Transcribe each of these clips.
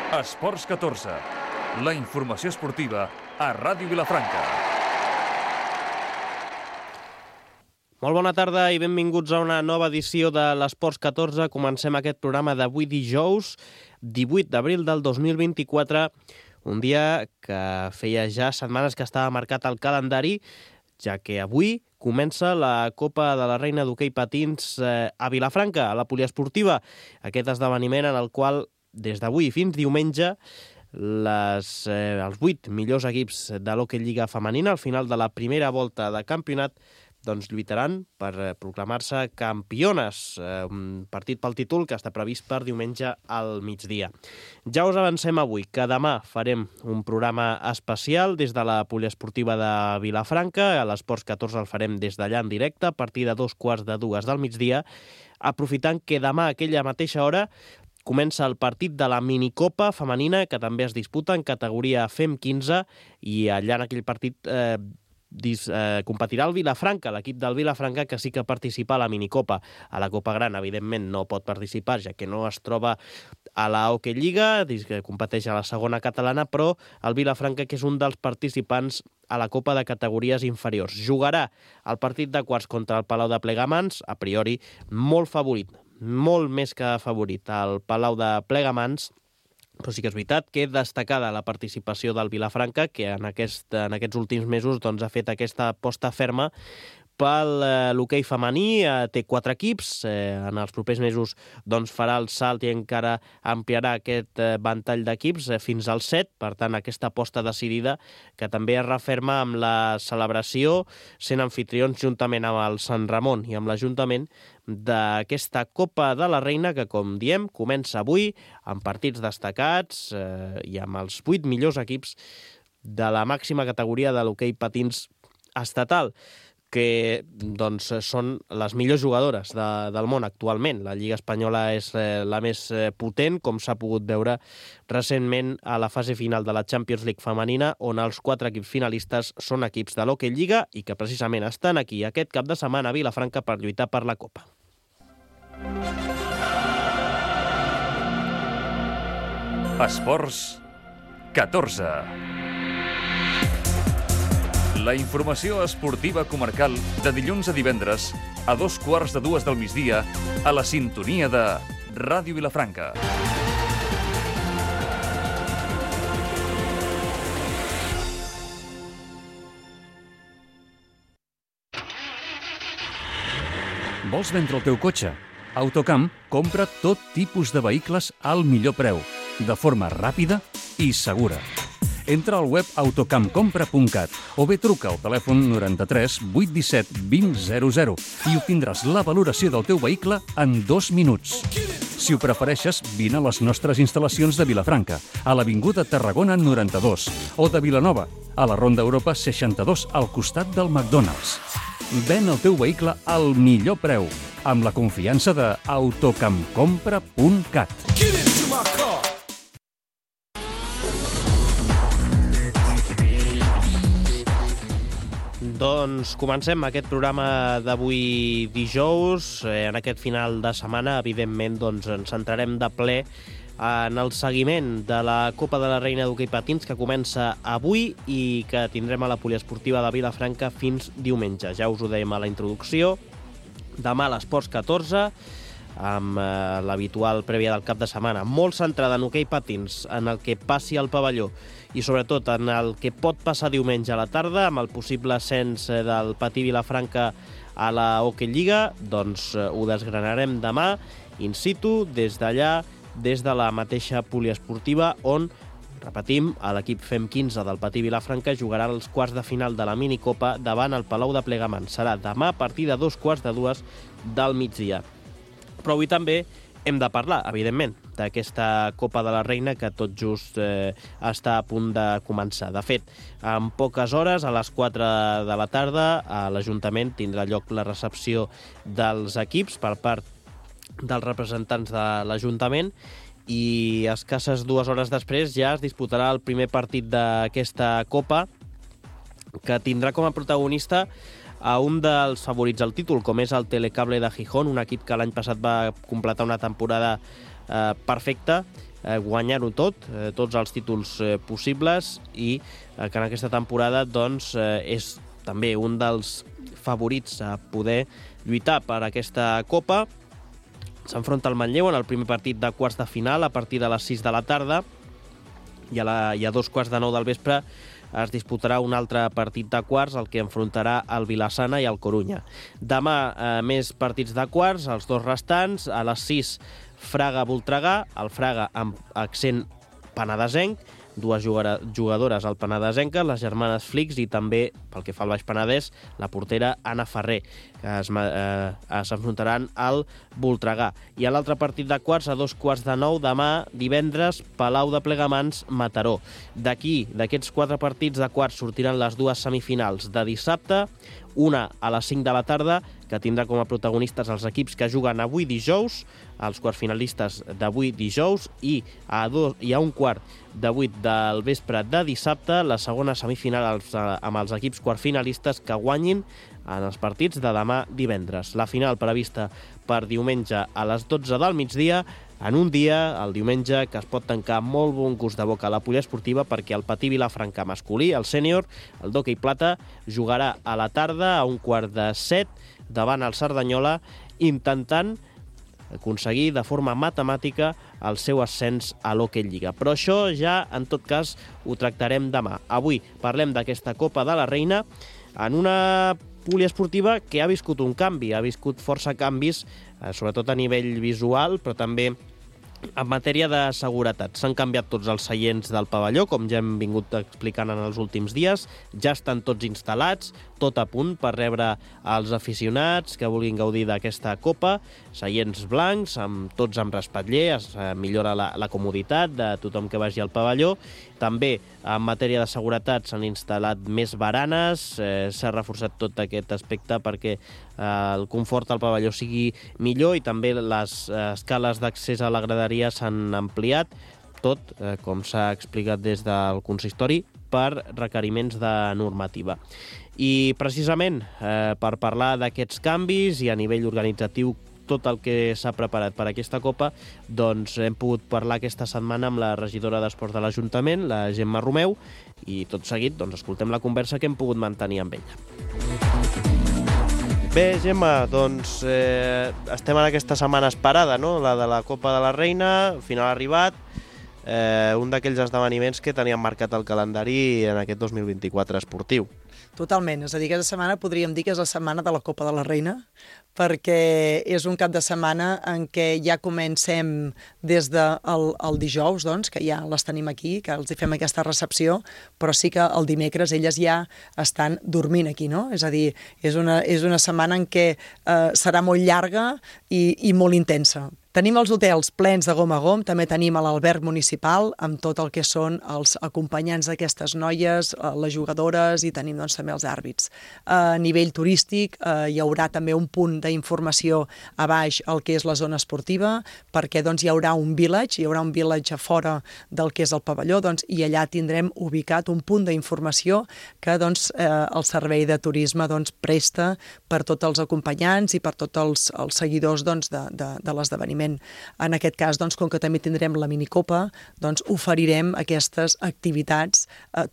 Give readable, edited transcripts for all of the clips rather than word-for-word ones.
Esports 14, la informació esportiva a Ràdio Vilafranca. Molt bona tarda i benvinguts a una nova edició de l'Esports 14. Comencem aquest programa d'avui dijous, 18 d'abril del 2024, un dia que feia ja setmanes que estava marcat al calendari, ja que avui comença la Copa de la Reina d'Hoquei Patins a Vilafranca, a la poliesportiva. Aquest esdeveniment en el qual, des d'avui fins diumenge, els 8 millors equips de l'Hoquei Lliga femenina, al final de la primera volta de campionat, doncs lluitaran per proclamar-se campiones. Un partit pel títol que està previst per diumenge al migdia. Ja us avancem avui que demà farem un programa especial des de la poliesportiva de Vilafranca. A l'Esports 14 el farem des d'allà en directe a partir de 2:45 del migdia, aprofitant que demà a aquella mateixa hora comença el partit de la minicopa femenina que també es disputa en categoria FEM 15 i allà en aquell partit competirà el Vilafranca, l'equip del Vilafranca que sí que participa a la minicopa. A la Copa Gran, evidentment, no pot participar, ja que no es troba a la Hoquei Lliga, que competeix a la segona catalana, però el Vilafranca, que és un dels participants a la Copa de categories inferiors. Jugarà el partit de quarts contra el Palau de Plegamans, a priori molt favorit, molt més que favorit, el Palau de Plegamans, però sí que és veritat que destacada la participació del Vilafranca, que en aquests últims mesos doncs, ha fet aquesta aposta ferma pel l'hoquei femení. Té 4 equips, en els propers mesos doncs, farà el salt i encara ampliarà aquest ventall d'equips fins als 7, per tant aquesta aposta decidida que també es referma amb la celebració, sent anfitrions juntament amb el Sant Ramon i amb l'Ajuntament d'aquesta Copa de la Reina que, com diem, comença avui amb partits destacats i amb els 8 millors equips de la màxima categoria de l'hoquei patins estatal, que doncs, són les millors jugadores del món actualment. La Lliga Espanyola és la més potent, com s'ha pogut veure recentment a la fase final de la Champions League femenina, on els 4 equips finalistes són equips de l'Hoquei Lliga i que precisament estan aquí aquest cap de setmana a Vilafranca per lluitar per la Copa. Esports 14. La informació esportiva comarcal de dilluns a divendres a 2:15 del migdia a la sintonia de Ràdio Vilafranca. Vols vendre el teu cotxe? Autocamp compra tot tipus de vehicles al millor preu, de forma ràpida i segura. Entra al web autocampcompra.cat o bé truca al telèfon 93 817 2000 i obtindràs la valoració del teu vehicle en 2 minuts. Si ho prefereixes, vine a les nostres instal·lacions de Vilafranca, a l'Avinguda Tarragona 92, o de Vilanova, a la Ronda Europa 62, al costat del McDonald's. Ven el teu vehicle al millor preu, amb la confiança de autocampcompra.cat. Doncs comencem aquest programa d'avui dijous. En aquest final de setmana, evidentment, doncs, ens centrarem de ple en el seguiment de la Copa de la Reina d'Hoquei Patins que comença avui i que tindrem a la poliesportiva de Vilafranca fins diumenge. Ja us ho dèiem a la introducció. Demà a l'Esports 14, amb l'habitual prèvia del cap de setmana, molt centrada en hoquei patins, en el que passi al pavelló i sobretot en el que pot passar diumenge a la tarda, amb el possible ascens del Patí Vilafranca a la Hoquei Lliga. Doncs ho desgranarem demà in situ, des d'allà, des de la mateixa poliesportiva, on, repetim, l'equip FEM 15 del Patí Vilafranca jugarà els quarts de final de la minicopa davant el Palau de Plegamans. Serà demà a partir de 2:15 del migdia. Però avui també hem de parlar, evidentment, d'aquesta Copa de la Reina que tot just està a punt de començar. De fet, en poques hores, a les 4 de la tarda, a l'Ajuntament tindrà lloc la recepció dels equips per part dels representants de l'Ajuntament i escasses 2 hores després ja es disputarà el primer partit d'aquesta Copa, que tindrà com a protagonista a un dels favorits al títol, com és el Telecable de Gijón, un equip que l'any passat va completar una temporada perfecta, guanyar-ho tot, tots els títols possibles, i que en aquesta temporada doncs, és també un dels favorits a poder lluitar per aquesta Copa. S'enfronta al Manlleu en el primer partit de quarts de final a partir de les 6 de la tarda, i a 2:15 del vespre es disputarà un altre partit de quarts, el que enfrontarà el Vilassana i el Corunya. Demà més partits de quarts, els dos restants. A les 6, Fraga-Voltregà, el Fraga amb accent penedesenc, dues jugadores al penedesenca, les germanes Flix, i també, pel que fa al Baix Penedès, la portera Anna Ferrer, que s'enfrontaran al Voltregà. I a l'altre partit de quarts, a 8:45 demà, divendres, Palau de Plegamans, Mataró. D'aquests 4 partits de quarts, sortiran les 2 semifinals de dissabte, una a les 5 de la tarda, que tindrà com a protagonistes els equips que juguen avui dijous, els quarts finalistes d'avui dijous, i a 1:15 de 8 del vespre de dissabte, la segona semifinal amb els equips quarts finalistes que guanyin en els partits de demà divendres. La final prevista per diumenge a les 12 del migdia, en un dia, el diumenge, que es pot tancar amb molt bon gust de boca a la poliesportiva, perquè el Patí Vilafranca masculí, el sènior, el d'hoquei plata, jugarà a la tarda a 6:15 davant el Cerdanyola, intentant aconseguir de forma matemàtica el seu ascens a l'Hockey Lliga. Però això ja, en tot cas, ho tractarem demà. Avui parlem d'aquesta Copa de la Reina en una poliesportiva que ha viscut un canvi, ha viscut força canvis, sobretot a nivell visual, però també en matèria de seguretat. S'han canviat tots els seients del pavelló, com ja hem vingut explicant en els últims dies. Ja estan tots instal·lats, tot a punt per rebre els aficionats que vulguin gaudir d'aquesta Copa. Seients blancs, tots amb respatller, es millora la comoditat de tothom que vagi al pavelló. També, en matèria de seguretat, s'han instal·lat més baranes, s'ha reforçat tot aquest aspecte perquè el confort al pavelló sigui millor, i també les escales d'accés a la graderia s'han ampliat, tot, com s'ha explicat des del consistori, per requeriments de normativa. I precisament per parlar d'aquests canvis i a nivell organitzatiu tot el que s'ha preparat per aquesta Copa, doncs hem pogut parlar aquesta setmana amb la regidora d'Esports de l'Ajuntament, la Gemma Romeu, i tot seguit doncs, escoltem la conversa que hem pogut mantenir amb ella. Bé, Gemma, doncs estem en aquesta setmana esperada, no? La de la Copa de la Reina, al final ha arribat, un d'aquells esdeveniments que teníem marcat al calendari en aquest 2024 esportiu. Totalment, és a dir, aquesta setmana podríem dir que és la setmana de la Copa de la Reina, perquè és un cap de setmana en què ja comencem des del dijous, doncs, que ja les tenim aquí, que els fem aquesta recepció, però sí que el dimecres elles ja estan dormint aquí, no? És a dir, és una setmana en què serà molt llarga i molt intensa. Tenim els hotels plens de gom a gom, també tenim l'alberg municipal amb tot el que són els acompanyants d'aquestes noies, les jugadores, i tenim doncs, també els àrbits. A nivell turístic hi haurà també un punt d'informació a baix al que és la zona esportiva, perquè doncs, hi haurà un village a fora del que és el pavelló, doncs, i allà tindrem ubicat un punt d'informació que doncs, el servei de turisme doncs, presta per tots els acompanyants i per tots els seguidors doncs, de l'esdeveniment. En aquest cas, doncs, com que també tindrem la minicopa, doncs, oferirem aquestes activitats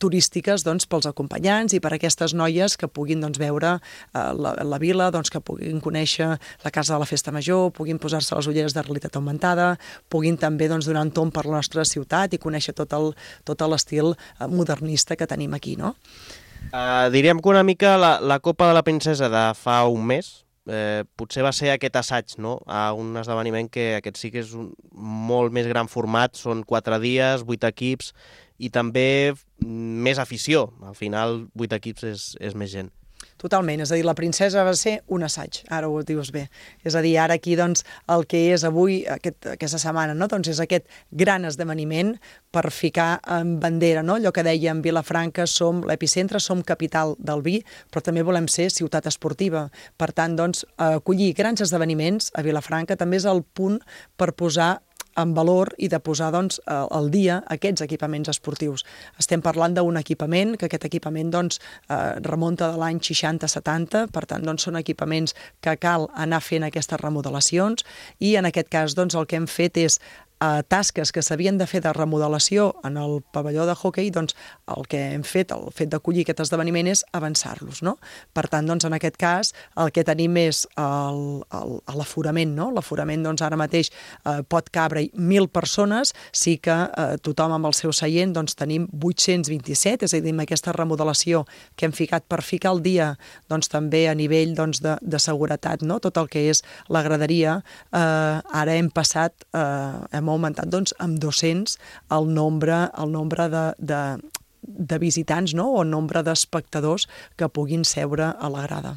turístiques doncs, pels acompanyants i per aquestes noies que puguin doncs, veure la vila, doncs, que puguin conèixer la Casa de la Festa Major, puguin posar-se les ulleres de realitat augmentada, puguin també doncs, donar un tomb per la nostra ciutat i conèixer tot l'estil modernista que tenim aquí, no? Diríem que una mica la Copa de la Princesa de fa un mes, potser va ser aquest assaig, no? A un esdeveniment que aquest sí que és un molt més gran format, són 4 dies, 8 equips i també més afició. Al final 8 equips és més gent. Totalment, és a dir, la Princesa va ser un assaig, ara ho dius bé. És a dir, ara aquí doncs, el que és avui, aquesta setmana, no? Doncs és aquest gran esdeveniment per ficar en bandera, no? Allò que dèiem, Vilafranca som l'epicentre, som capital del vi, però també volem ser ciutat esportiva. Per tant, doncs, acollir grans esdeveniments a Vilafranca també és el punt per posar en valor i de posar doncs, al dia aquests equipaments esportius. Estem parlant d'un equipament, que aquest equipament doncs, remunta de l'any 60-70, per tant doncs, són equipaments que cal anar fent aquestes remodelacions i en aquest cas doncs, el que hem fet és tasques que s'havien de fer de remodelació en el pavelló de hoquei, doncs el que hem fet, el fet d'acollir aquest esdeveniment és avançar-los, no? Per tant, doncs, en aquest cas, el que tenim és l'aforament, no? L'aforament, doncs, ara mateix pot cabre 1.000 persones, sí que tothom amb el seu seient, doncs, tenim 827, és a dir, amb aquesta remodelació que hem ficat per ficar al dia, doncs, també a nivell doncs, de seguretat, no? Tot el que és la graderia, ara hem passat, hem augmentat doncs, amb 200 el nombre de visitants, no? O el nombre d'espectadors que puguin seure a la grada.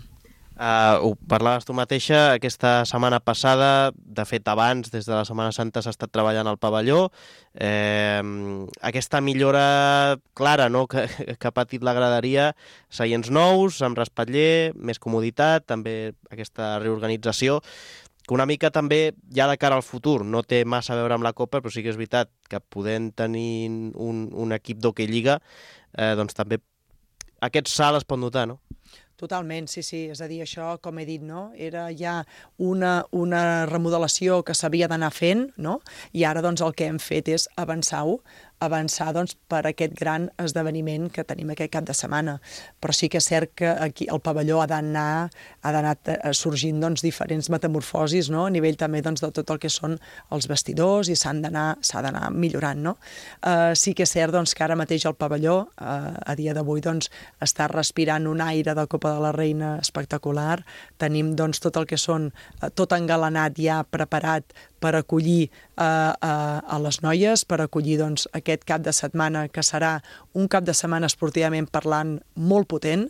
Ho parlaves tu mateixa, aquesta setmana passada, de fet abans, des de la Setmana Santa s'ha estat treballant al pavelló, aquesta millora clara, no?, que ha patit la graderia, seients nous, amb respatller, més comoditat, també aquesta reorganització, que una mica també, ja de cara al futur, no té massa a veure amb la Copa, però sí que és veritat que podent tenir un equip d'hoquei lliga, doncs també aquest salt es pot notar, no? Totalment, sí, és a dir, això, com he dit, no? Era ja una remodelació que s'havia d'anar fent, no? I ara doncs el que hem fet és avançar doncs, per aquest gran esdeveniment que tenim aquest cap de setmana. Però sí que és cert que aquí el pavelló ha d'anar sorgint doncs, diferents metamorfosis, no? A nivell també doncs, de tot el que són els vestidors i s'ha d'anar millorant, no? Sí que és cert doncs, que ara mateix el pavelló, a dia d'avui, doncs, està respirant un aire de Copa de la Reina espectacular. Tenim doncs, tot el que són, tot engalanat ja preparat per acollir a les noies, per acollir doncs, aquest cap de setmana, que serà un cap de setmana esportivament parlant molt potent.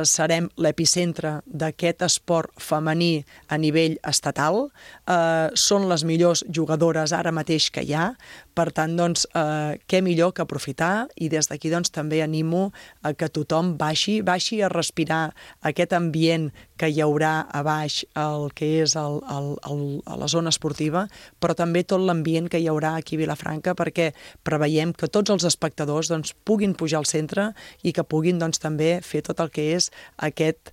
Serem l'epicentre d'aquest esport femení a nivell estatal. Són les millors jugadores ara mateix que hi ha. Per tant, doncs, què millor que aprofitar, i des d'aquí doncs, també animo a que tothom baixi a respirar aquest ambient que hi haurà a baix, el que és a la zona esportiva, però també tot l'ambient que hi haurà aquí a Vilafranca, perquè preveiem que tots els espectadors doncs, puguin pujar al centre i que puguin doncs, també fer tot el que és aquest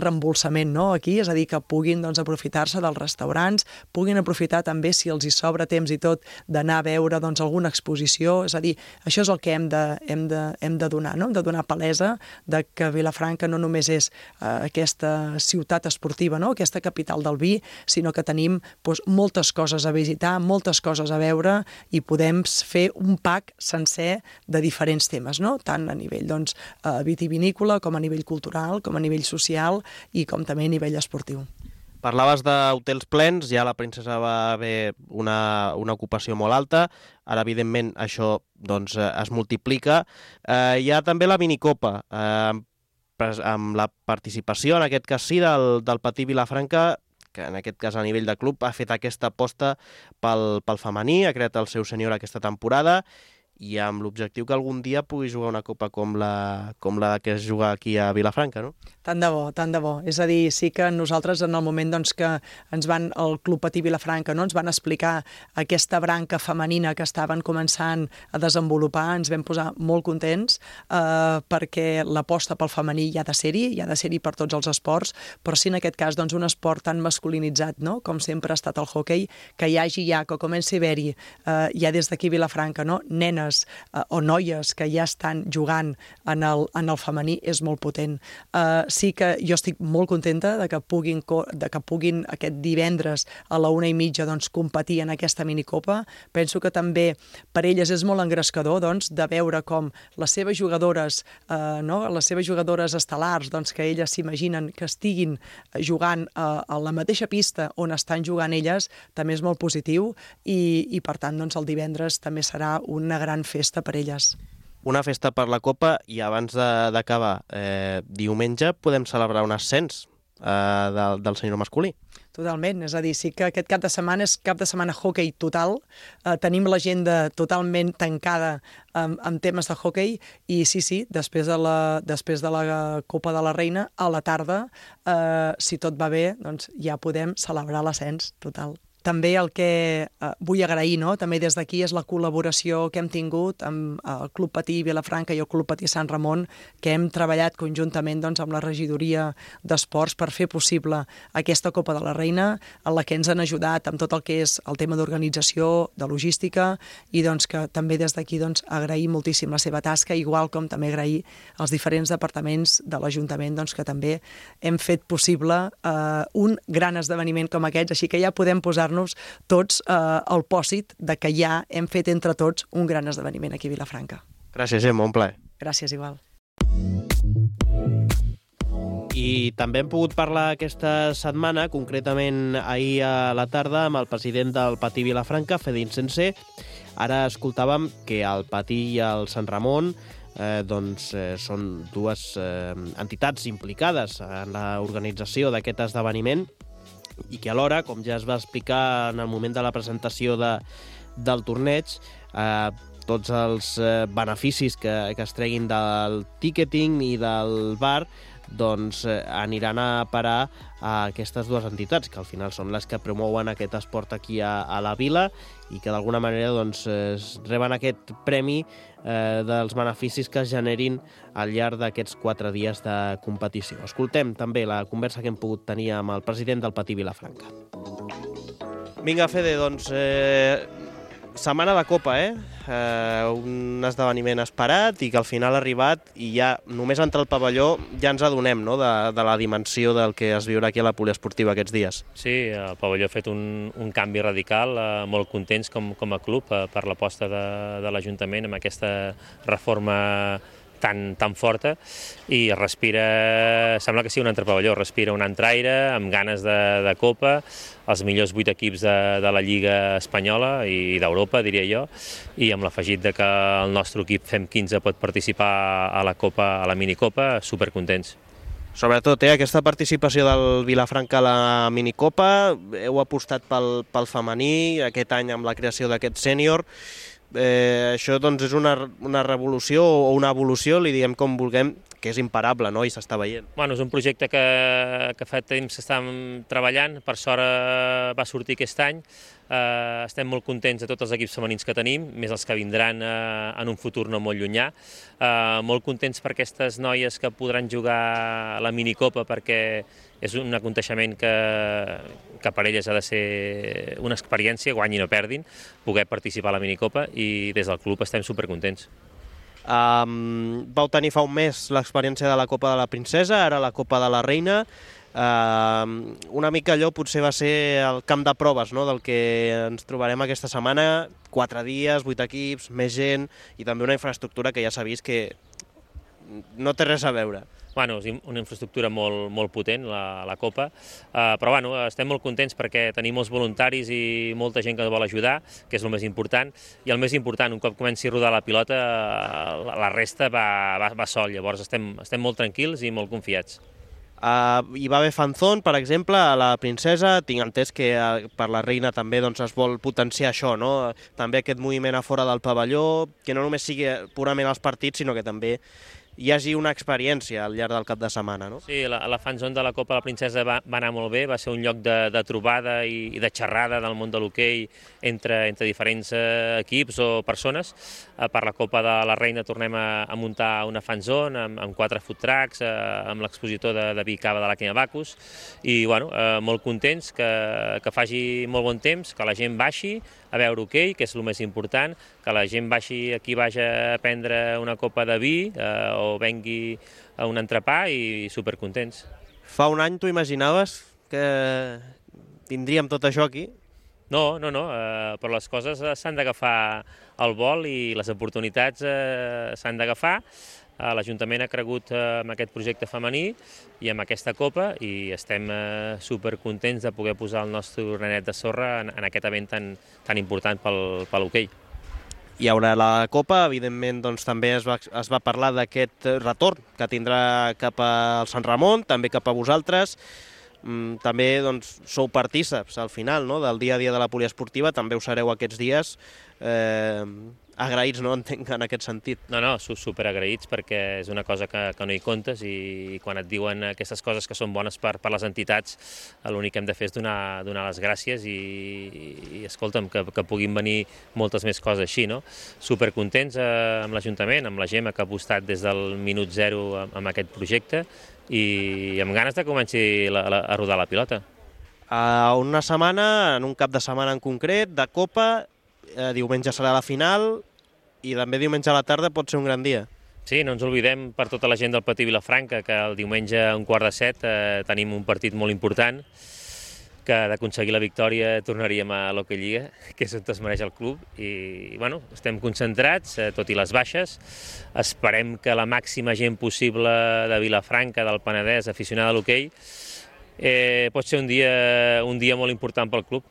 reembolsament, no? Aquí, és a dir, que puguin doncs, aprofitar-se dels restaurants, puguin aprofitar també, si els hi sobra temps i tot, d'anar a veure doncs, alguna exposició. És a dir, això és el que hem de donar, no? Hem de donar palesa de que Vilafranca no només és aquesta ciutat esportiva, no? Aquesta capital del vi, sinó que tenim doncs, moltes coses a visitar, moltes coses a veure, i podem fer un pack sencer de diferents temes, no? Tant a nivell doncs, vitivinícola, com a nivell cultural, com a nivell social i com també a nivell esportiu. Parlaves d'hotels plens, ja a la Princesa va haver una ocupació molt alta, ara evidentment això doncs, es multiplica. Hi ha també la minicopa, amb la participació, en aquest cas sí, del Patí Vilafranca, que en aquest cas a nivell de club ha fet aquesta aposta pel femení, ha creat el seu sènior aquesta temporada, i amb l'objectiu que algun dia pugui jugar una copa com la que es juga aquí a Vilafranca, no? Tant de bo, tant de bo. És a dir, sí que nosaltres en el moment doncs, que el Club Patí Vilafranca no, ens van explicar aquesta branca femenina que estaven començant a desenvolupar, ens vam posar molt contents perquè l'aposta pel femení hi ha de ser-hi per tots els esports, però sí en aquest cas doncs, un esport tan masculinitzat, no? Com sempre ha estat el hoquei, que hi hagi ja, que comenci a haver-hi ja des d'aquí a Vilafranca, no? Nenes o noies que ja estan jugant en el femení és molt potent. Sí que jo estic molt contenta de que puguin aquest divendres a la 1:30 doncs, competir en aquesta minicopa. Penso que també per elles és molt engrescador doncs, de veure com les seves jugadores, les seves jugadores estel·lars, doncs, que elles s'imaginen que estiguin jugant a la mateixa pista on estan jugant elles, també és molt positiu i per tant doncs, el divendres també serà una gran festa per elles. Una festa per la Copa, i abans d'acabar, diumenge podem celebrar un ascens del sènior masculí. Totalment, és a dir, sí que aquest cap de setmana és cap de setmana hoquei total, tenim l'agenda totalment tancada amb temes de hoquei, i sí, després de la Copa de la Reina, a la tarda, si tot va bé, doncs ja podem celebrar l'ascens total. també el que vull agrair, no? També des d'aquí, és la col·laboració que hem tingut amb el Club Patí Vilafranca i el Club Patí Sant Ramon, que hem treballat conjuntament doncs, amb la regidoria d'Esports per fer possible aquesta Copa de la Reina, en la que ens han ajudat amb tot el que és el tema d'organització, de logística, i doncs, que també des d'aquí doncs, agrair moltíssim la seva tasca, igual com també agrair als diferents departaments de l'Ajuntament doncs, que també hem fet possible un gran esdeveniment com aquest, així que ja podem posar-nos tots al pòsit de que ja hem fet entre tots un gran esdeveniment aquí a Vilafranca. Gràcies, Gemma, un plaer. Gràcies, igual. I també hem pogut parlar aquesta setmana, concretament ahir a la tarda, amb el president del Patí Vilafranca, Fede Insensé. Ara escoltàvem que el Patí i el Sant Ramon són dues entitats implicades en l'organització d'aquest esdeveniment i que alhora, com ja es va explicar en el moment de la presentació del torneig, tots els beneficis que es treguin del ticketing i del bar doncs aniran a parar a aquestes dues entitats, que al final són les que promouen aquest esport aquí a la vila i que d'alguna manera doncs, reben aquest premi dels beneficis que es generin al llarg d'aquests 4 dies de competició. Escoltem també la conversa que hem pogut tenir amb el president del Patí Vilafranca. Vinga, Fede, doncs setmana de Copa, un esdeveniment esperat i que al final ha arribat i ja només entrar al pavelló ja ens adonem, no?, de la dimensió del que es viurà aquí a la poliesportiva aquests dies. Sí, el pavelló ha fet un canvi radical, molt contents com a club per l'aposta de l'Ajuntament amb aquesta reforma tan forta i sembla que sigui un altre pavelló, respira un altre aire, amb ganes de Copa, els millors 8 equips de la Lliga Espanyola i d'Europa, diria jo, i amb l'afegit que el nostre equip FEM 15 pot participar a la Copa, a la minicopa, supercontents. Sobretot, aquesta participació del Vilafranca a la minicopa, heu apostat pel femení, aquest any amb la creació d'aquest sènior. Això doncs, és una revolució o una evolució, li diem com vulguem, que és imparable, no?, i s'està veient. Bueno, és un projecte que fa temps que estàvem treballant, per sort va sortir aquest any. Estem molt contents de tots els equips femenins que tenim, més els que vindran en un futur no molt llunyà. Molt contents per aquestes noies que podran jugar a la minicopa, perquè és un aconteixement que per elles ha de ser una experiència, guanyin o perdin, poder participar a la minicopa, i des del club estem supercontents. Vau tenir fa un mes l'experiència de la Copa de la Princesa, ara la Copa de la Reina. Una mica allò potser va ser el camp de proves, no?, del que ens trobarem aquesta setmana. 4 dies, 8 equips, més gent i també una infraestructura que ja s'ha vist que no té res a veure. Bueno, és una infraestructura molt potent, la Copa, però bueno, estem molt contents perquè tenim molts voluntaris i molta gent que vol ajudar, que és el més important, i el més important, un cop comenci a rodar la pilota, la resta va sol, llavors estem molt tranquils i molt confiats. Hi va haver fanzón, per exemple, a la Princesa. Tinc entès que per la Reina també doncs, es vol potenciar això, no?, també aquest moviment a fora del pavelló, que no només sigui purament els partits, sinó que també hi hagi una experiència al llarg del cap de setmana, no? Sí, la fanzone de la Copa de la Princesa va anar molt bé, va ser un lloc de trobada i de xerrada del món de l'hoquei entre diferents equips o persones. Per la Copa de la Reina tornem a muntar una fanzone amb 4 food trucks, amb l'expositor de vi i cava de la Kenya Bacus, i bueno, molt contents que faci molt bon temps, que la gent baixi a veure hoquei, que és el més important, que la gent baixi aquí a prendre una copa de vi o vengui a un entrepà, i supercontents. Fa un any t'ho imaginaves que tindríem tot això aquí? No, però les coses s'han d'agafar al vol i les oportunitats s'han d'agafar. L'Ajuntament ha cregut en aquest projecte femení i amb aquesta copa, i estem supercontents de poder posar el nostre granet de sorra en aquest event tan important pel hoquei. Hi haurà la Copa, evidentment doncs, també es va parlar d'aquest retorn que tindrà cap al Sant Ramon, també cap a vosaltres. També doncs, sou partíceps al final, no?, del dia a dia de la poliesportiva, també ho sereu aquests dies. agraïts, no entenc, en aquest sentit. No, superagraïts perquè és una cosa que no hi comptes i quan et diuen aquestes coses que són bones per les entitats, l'únic que hem de fer és donar les gràcies i escolta'm, que puguin venir moltes més coses així, no? Supercontents amb l'Ajuntament, amb la Gemma que ha apostat des del minut zero amb aquest projecte i amb ganes de comenci a rodar la pilota. Una setmana, en un cap de setmana en concret, de Copa, diumenge serà la final i també diumenge a la tarda pot ser un gran dia. Sí, no ens oblidem per tota la gent del Patí Vilafranca que el diumenge a 6:15 tenim un partit molt important que d'aconseguir la victòria tornaríem a l'Hockey Lliga, que és on es mereix el club i bueno, estem concentrats, tot i les baixes. Esperem que la màxima gent possible de Vilafranca, del Penedès, aficionada a l'hoquei, pot ser un dia molt important pel club.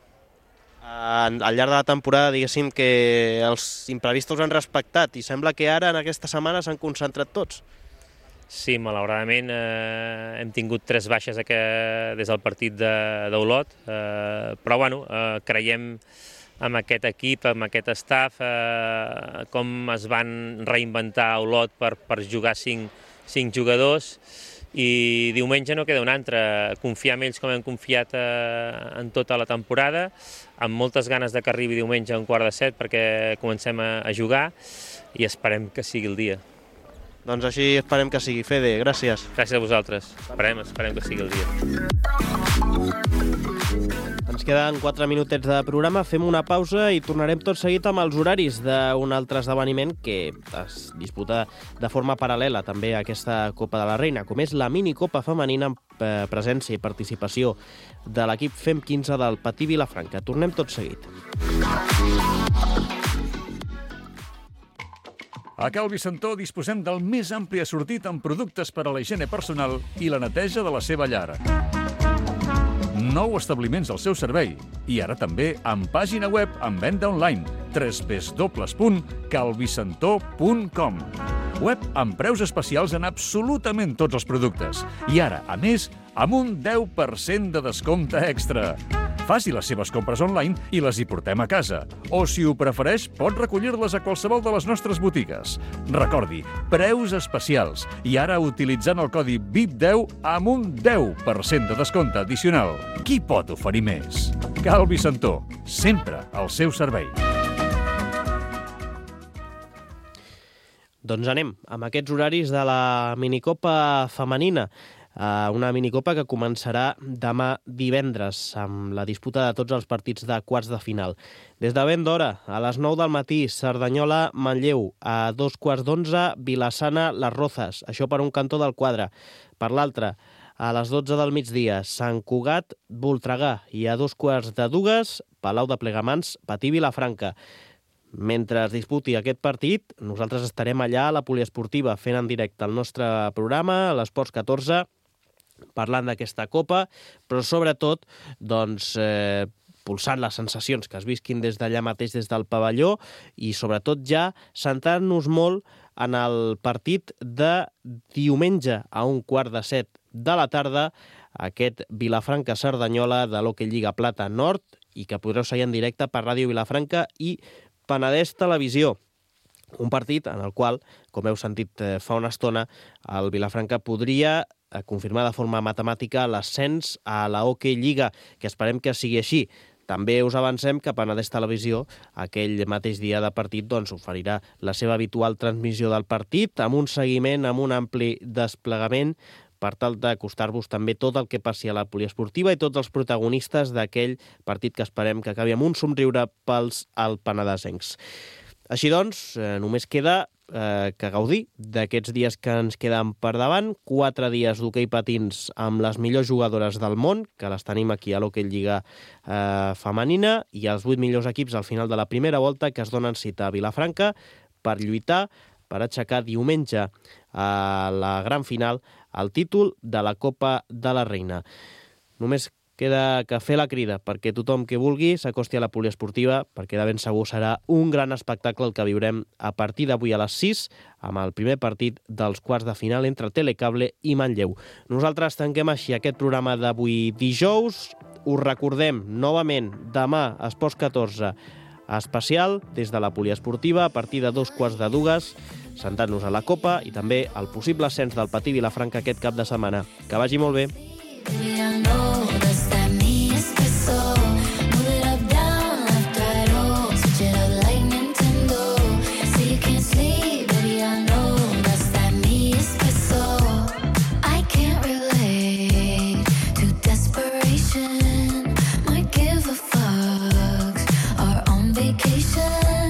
Al llarg de la temporada, diguéssim, que els imprevistos han respectat i sembla que ara, en aquesta setmana, s'han concentrat tots. Sí, malauradament hem tingut 3 baixes des del partit d'Olot, però bueno, creiem amb aquest equip, amb aquest staff, com es van reinventar a Olot per jugar 5 jugadors, i diumenge no queda un altre, confiar en ells com hem confiat en tota la temporada, amb moltes ganes de que arribi diumenge a 6:15 perquè comencem a jugar i esperem que sigui el dia. Doncs així esperem que sigui. Fede, gràcies. Gràcies a vosaltres. Esperem que sigui el dia. Ens queden 4 minutets de programa, fem una pausa i tornarem tot seguit amb els horaris d'un altre esdeveniment que es disputa de forma paral·lela també a aquesta Copa de la Reina, com és la minicopa femenina amb presència i participació de l'equip FEM 15 del Patí Vilafranca. Tornem tot seguit. A Cal Vicentó disposem del més ampli assortit en productes per a la higiene personal i la neteja de la seva llar. 9 establiments al seu servei i ara també amb pàgina web amb venda online www.calvicentó.com. Web amb preus especials en absolutament tots els productes i ara, a més, amb un 10% de descompte extra. Faci les seves compres online i les hi portem a casa. O, si ho prefereix, pot recollir-les a qualsevol de les nostres botigues. Recordi, preus especials. I ara utilitzant el codi VIP10 amb un 10% de descompte addicional. Qui pot oferir més? Cal Vicentó, sempre al seu servei. Doncs anem amb aquests horaris de la minicopa femenina. Una minicopa que començarà demà divendres amb la disputa de tots els partits de quarts de final. Des de ben d'hora, a les 9 del matí, Cerdanyola-Manlleu, a 2:15, Vila-sana-Les Rozas, això per un cantó del quadre. Per l'altre, a les 12 del migdia, Sant Cugat-Voltregà i a 2:15, Palau de Plegamans, Patí Vilafranca. Mentre es disputi aquest partit, nosaltres estarem allà a la poliesportiva fent en directe el nostre programa, a l'Esports 14, parlant d'aquesta copa, però sobretot doncs, pulsant les sensacions que es visquin des d'allà mateix, des del pavelló, i sobretot ja centrant-nos molt en el partit de diumenge a 6:15 de la tarda, aquest Vilafranca-Cerdanyola de l'Hockey Lliga Plata Nord, i que podreu seguir en directe per Ràdio Vilafranca i Penedès Televisió. Un partit en el qual, com heu sentit fa una estona, el Vilafranca podria confirmar de forma matemàtica l'ascens a la Hockey Lliga, que esperem que sigui així. També us avancem que Penedès Televisió, aquell mateix dia de partit, doncs, oferirà la seva habitual transmissió del partit, amb un seguiment, amb un ampli desplegament, per tal d'acostar-vos també tot el que passi a la poliesportiva i tots els protagonistes d'aquell partit que esperem que acabi amb un somriure pels alpenedesencs. Així doncs, només queda que gaudir d'aquests dies que ens queden per davant, 4 dies d'hoquei patins amb les millors jugadores del món, que les tenim aquí a l'Hockey Lliga femenina, i els 8 millors equips al final de la primera volta que es donen cita a Vilafranca per lluitar, per aixecar diumenge a la gran final el títol de la Copa de la Reina. Només queda que fer la crida perquè tothom que vulgui s'acosti a la poliesportiva, perquè de ben segur serà un gran espectacle el que viurem a partir d'avui a les 6 amb el primer partit dels quarts de final entre Telecable i Manlleu. Nosaltres tanquem així aquest programa d'avui dijous. Us recordem novament demà a Esports 14 especial des de la poliesportiva a partir de 2:15, centrant-nos a la Copa i també al possible ascens del Patí Vilafranca aquest cap de setmana. Que vagi molt bé. Might give a fuck, are on vacation.